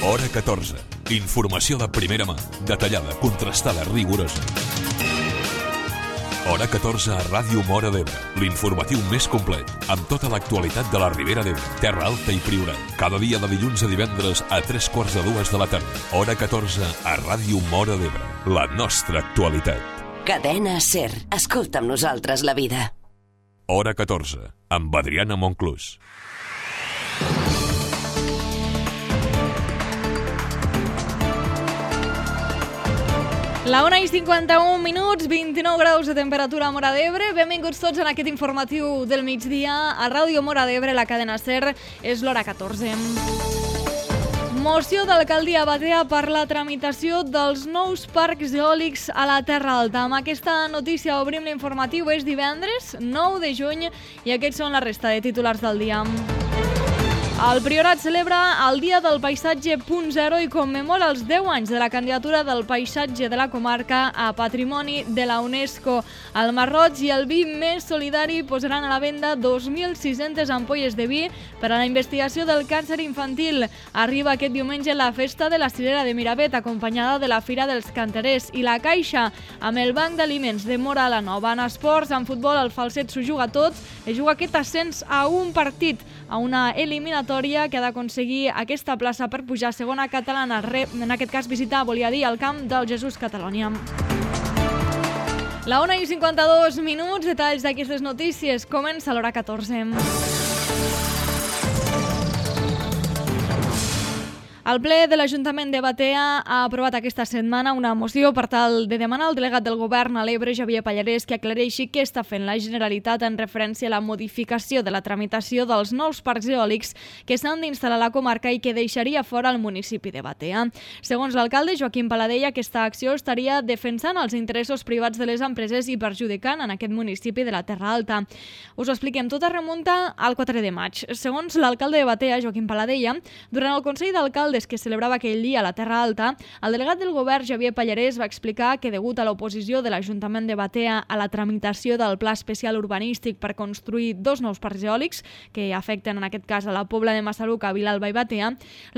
Hora 14. Informació de primera mà, detallada, contrastada, rigorosa. Hora 14 a Ràdio Móra d'Ebre, l'informatiu més complet, amb tota l'actualitat de la Ribera d'Ebre, Terra Alta i Priorat. Cada dia de dilluns a divendres a 3:45 de la tarda. Hora 14 a Ràdio Móra d'Ebre, la nostra actualitat. Cadena SER. Escolta amb nosaltres la vida. Hora 14, amb Adriana Monclús. La 1:51, 29 graus de temperatura a Móra d'Ebre. Benvinguts tots en aquest informatiu del migdia. A Ràdio Móra d'Ebre, la cadena SER, és l'hora 14. Moció d'alcaldia a Batea per la tramitació dels nous parcs eòlics a la Terra Alta. Amb aquesta notícia obrim l'informatiu. És divendres, 9 de juny, i aquests són la resta de titulars del dia. El Priorat celebra el Dia del Paisatge .0 i commemora els 10 anys de la candidatura del paisatge de la comarca a Patrimoni de la UNESCO. El Marroig i el vi més solidari posaran a la venda 2.600 ampolles de vi per a la investigació del càncer infantil. Arriba aquest diumenge la festa de la Cirera de Miravet, acompanyada de la Fira dels Canterers, i la Caixa, amb el Banc d'Aliments de Móra la Nova. En esports, en futbol, el Falset s'ho juga tot. Es juga aquest ascens a un partit, a una eliminatòria que ha d'aconseguir aquesta plaça per pujar a segona catalana. En aquest cas, visitar, volia dir, el camp del Jesús Catalònia. La 1:52, detalls d'aquestes notícies. Comença l'hora 14. El ple de l'Ajuntament de Batea ha aprovat aquesta setmana una moció per tal de demanar al delegat del govern a l'Ebre, Xavier Pallarès, que aclareixi què està fent la Generalitat en referència a la modificació de la tramitació dels nous parcs eòlics que s'han d'instal·lar a la comarca i que deixaria fora el municipi de Batea. Segons l'alcalde Joaquim Paladella, aquesta acció estaria defensant els interessos privats de les empreses i perjudicant en aquest municipi de la Terra Alta. Us ho expliquem, tot es remunta al 4 de maig. Segons l'alcalde de Batea, Joaquim Paladella, durant el Consell d'Alcaldes que celebrava aquell dia a la Terra Alta, el delegat del govern, Xavier Pallarès, va explicar que degut a l'oposició de l'Ajuntament de Batea a la tramitació del Pla Especial Urbanístic per construir 2 nous parcs eòlics, que afecten en aquest cas a la Pobla de Massaluca, Vilalba i Batea,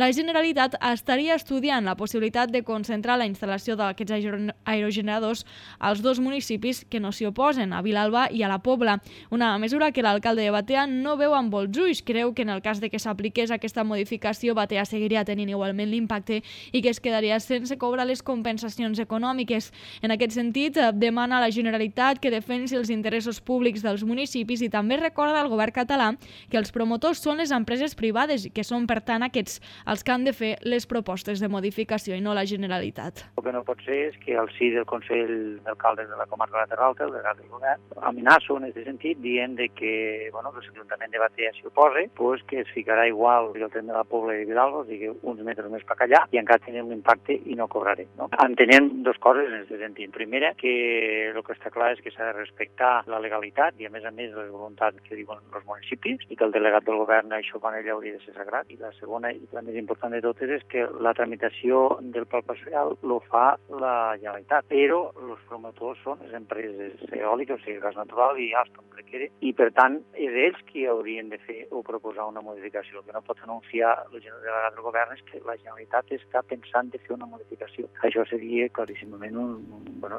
la Generalitat estaria estudiant la possibilitat de concentrar la instal·lació d'aquests aerogeneradors als 2 municipis que no s'hi oposen, a Vilalba i a la Pobla. Una mesura que l'alcalde de Batea no veu amb bons ulls. Creu que en el cas de que s'apliqués aquesta modificació, Batea seguiria tenint igualment l'impacte i que es quedaria sense cobrar les compensacions econòmiques. En aquest sentit, demana a la Generalitat que defensi els interessos públics dels municipis i també recorda al govern català que els promotors són les empreses privades i que són, per tant, aquests els que han de fer les propostes de modificació i no la Generalitat. El que no pot ser és que al si del Consell d'Alcaldes de la comarca de la Terra Alta, el delegat del govern, amenaço en aquest sentit dient que, que l'Ajuntament de Batea s'hi oposa, pues que es ficarà igual el tren de la Pobla i Vilalba, o sigui, uns metres més per allà, i encara tenim l'impacte i no cobraré. No? Entenem 2 coses en aquest sentit. Primera, que el que està clar és que s'ha de respectar la legalitat i, a més, les voluntats que diuen els municipis, i que el delegat del govern això quan ell hauria de ser sagrat. I la segona, i la més important de totes, és que la tramitació del pla parcial lo fa la Generalitat, però els promotors són les empreses eòliques, o sigui, gas natural i Alstom, i per tant és ells qui haurien de fer o proposar una modificació. El que no pot anunciar el delegat del govern és que la Generalitat està pensant de fer una modificació. Això seria claríssimament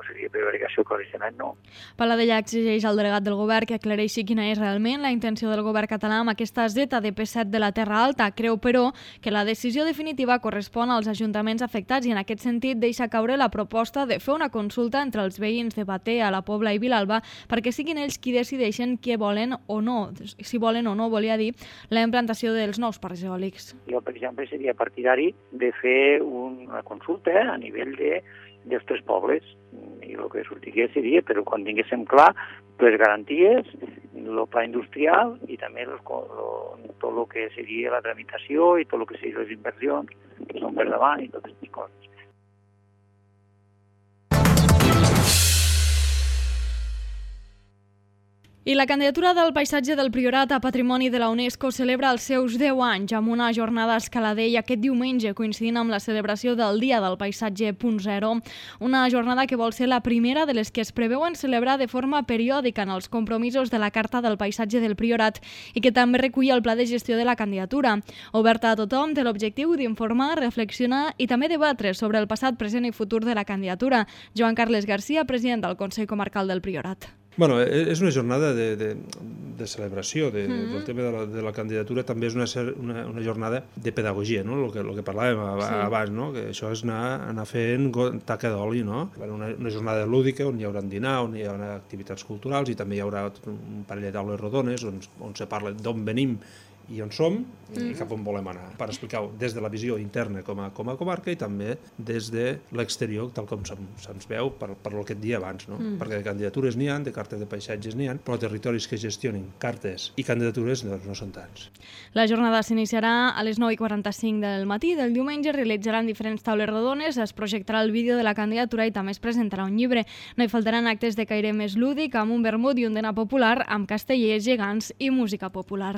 seria prevaricació, claríssimament no. Paladella exigeix al delegat del govern que aclareixi quina és realment la intenció del govern català amb aquesta ZDP7 de la Terra Alta. Creu, però, que la decisió definitiva correspon als ajuntaments afectats i en aquest sentit deixa caure la proposta de fer una consulta entre els veïns de Batea, la Pobla i Vilalba perquè siguin ells qui decideixen què volen o no, si volen o no, volia dir, la implantació dels nous parcs eòlics. Jo, per exemple, seria partidari de fer una consulta a nivell dels 3 pobles i el que sortigués seria, però quan tinguéssim clar les garanties, el pla industrial i també tot el que seria la tramitació i tot el que serien les inversions que són per davant i totes aquestes coses. I la candidatura del paisatge del Priorat a Patrimoni de la UNESCO celebra els seus 10 anys amb una jornada a Escaladell aquest diumenge, coincidint amb la celebració del Dia del Paisatge .0, una jornada que vol ser la primera de les que es preveuen celebrar de forma periòdica en els compromisos de la Carta del Paisatge del Priorat i que també recull el pla de gestió de la candidatura. Oberta a tothom, té l'objectiu d'informar, reflexionar i també debatre sobre el passat, present i futur de la candidatura. Joan Carles Garcia, president del Consell Comarcal del Priorat. Bueno, és una jornada de celebració del tema de la candidatura, també és una jornada de pedagogia, no? El que parlàvem abans, no? Que això és anar fent taca d'oli, no? Una jornada lúdica on hi haurà dinar, on hi haurà activitats culturals i també hi haurà un parell de taules rodones on se parla d'on venim i on som i cap on volem anar, per explicar-ho des de la visió interna com a comarca i també des de l'exterior, tal com se'ns veu per el que et dia abans, no? Perquè de candidatures n'hi ha, de cartes de paisatges n'hi ha, però territoris que gestionin cartes i candidatures no són tants. La jornada s'iniciarà a les 9:45 del matí del diumenge, realitzaran diferents taules rodones, es projectarà el vídeo de la candidatura i també es presentarà un llibre. No hi faltaran actes de caire més lúdic, amb un vermut i un dinar popular, amb castellers, gegants i música popular.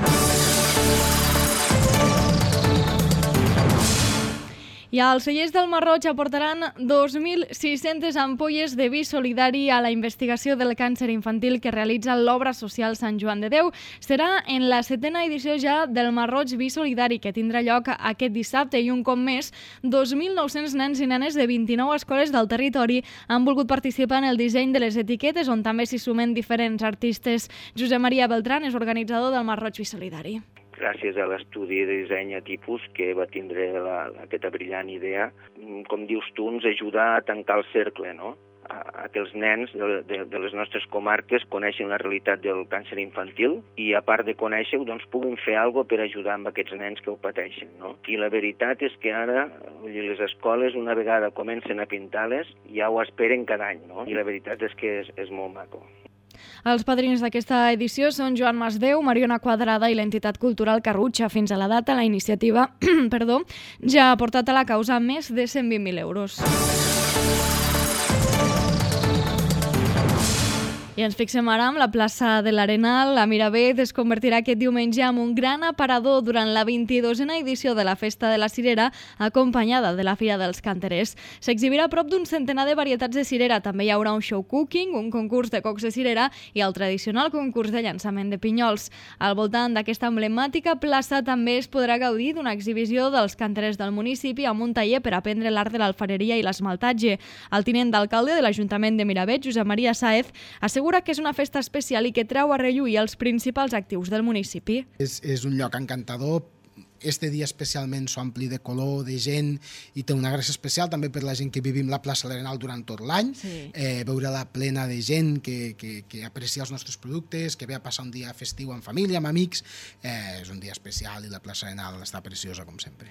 I als cellers del Marroig aportaran 2.600 ampolles de vi solidari a la investigació del càncer infantil que realitza l'obra social Sant Joan de Déu. Serà en la 7a edició ja del Marroig Vi Solidari, que tindrà lloc aquest dissabte i un cop més, 2.900 nens i nenes de 29 escoles del territori han volgut participar en el disseny de les etiquetes, on també s'hi sumen diferents artistes. Josep Maria Beltrán és organitzador del Marroig Vi Solidari. Gràcies a l'estudi de disseny a tipus que va tindre aquesta brillant idea, com dius tu, ens ajuda a tancar el cercle, no? A que els nens de les nostres comarques coneixin la realitat del càncer infantil i, a part de conèixer-ho, doncs puguin fer alguna cosa per ajudar amb aquests nens que ho pateixen, no? I la veritat és que ara les escoles, una vegada comencen a pintar-les, ja ho esperen cada any, no? I la veritat és que és molt maco. Els padrins d'aquesta edició són Joan Masdeu, Mariona Quadrada i l'entitat cultural Carrutxa. Fins a la data, la iniciativa ja ha portat a la causa més de 120.000 euros. I ens fixem ara amb la plaça de l'Arenal. La Miravet es convertirà aquest diumenge en un gran aparador durant la 22a edició de la Festa de la Cirera, acompanyada de la Fira dels Canterers. S'exhibirà prop d'un centenar de varietats de cirera. També hi haurà un show cooking, un concurs de cocs de cirera i el tradicional concurs de llançament de pinyols. Al voltant d'aquesta emblemàtica plaça també es podrà gaudir d'una exhibició dels canterers del municipi amb un taller per aprendre l'art de l'alfareria i l'esmaltatge. El tinent d'alcalde de l'Ajuntament de Miravet, Josep Maria Sáez, assegura que és una festa especial i que treu a relluir els principals actius del municipi. És un lloc encantador. Este dia especialment s'ompli de color, de gent, i té una gràcia especial també per la gent que vivim la plaça l'Arenal durant tot l'any. Sí. Veure-la plena de gent que aprecia els nostres productes, que ve a passar un dia festiu amb família, amb amics. És un dia especial i la plaça l'Arenal està preciosa com sempre.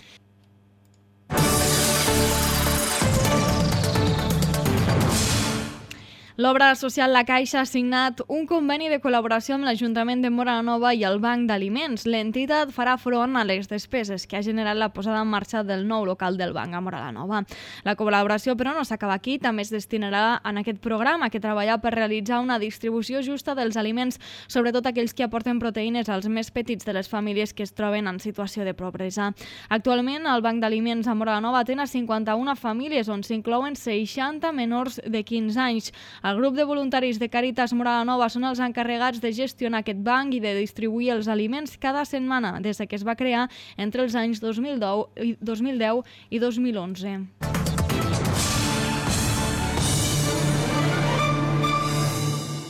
L'obra social La Caixa ha signat un conveni de col·laboració amb l'Ajuntament de Móra la Nova i el Banc d'Aliments. L'entitat farà front a les despeses que ha generat la posada en marxa del nou local del banc a Móra la Nova. La col·laboració, però, no s'acaba aquí. També es destinarà en aquest programa que treballa per realitzar una distribució justa dels aliments, sobretot aquells que aporten proteïnes als més petits de les famílies que es troben en situació de pobresa. Actualment, el Banc d'Aliments a Móra la Nova atén a 51 famílies, on s'inclouen 60 menors de 15 anys. El grup de voluntaris de Càritas Móra la Nova són els encarregats de gestionar aquest banc i de distribuir els aliments cada setmana des que es va crear entre els anys 2010 i 2011.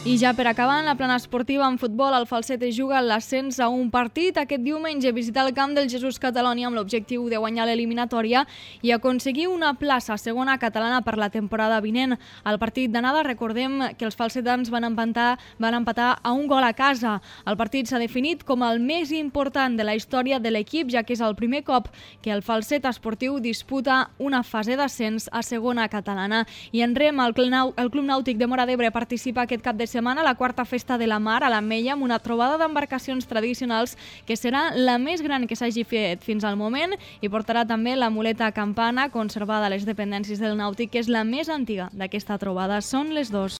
I ja per acabar, en la plana esportiva en futbol, el Falset es juga l'ascens a un partit. Aquest diumenge visitar el camp del Jesús Catalònia amb l'objectiu de guanyar l'eliminatòria i aconseguir una plaça segona catalana per la temporada vinent. Al partit d'anada recordem que els falsetans van empatar a un gol a casa. El partit s'ha definit com el més important de la història de l'equip, ja que és el primer cop que el Falset Esportiu disputa una fase d'ascens a segona catalana. I en rem, el Club Nàutic de Móra d'Ebre participa aquest cap de setmana a la quarta festa de la mar a l'Ametlla amb una trobada d'embarcacions tradicionals que serà la més gran que s'hagi fet fins al moment i portarà també la muleta campana conservada a les dependències del Nàutic, que és la més antiga d'aquesta trobada. Són les 2.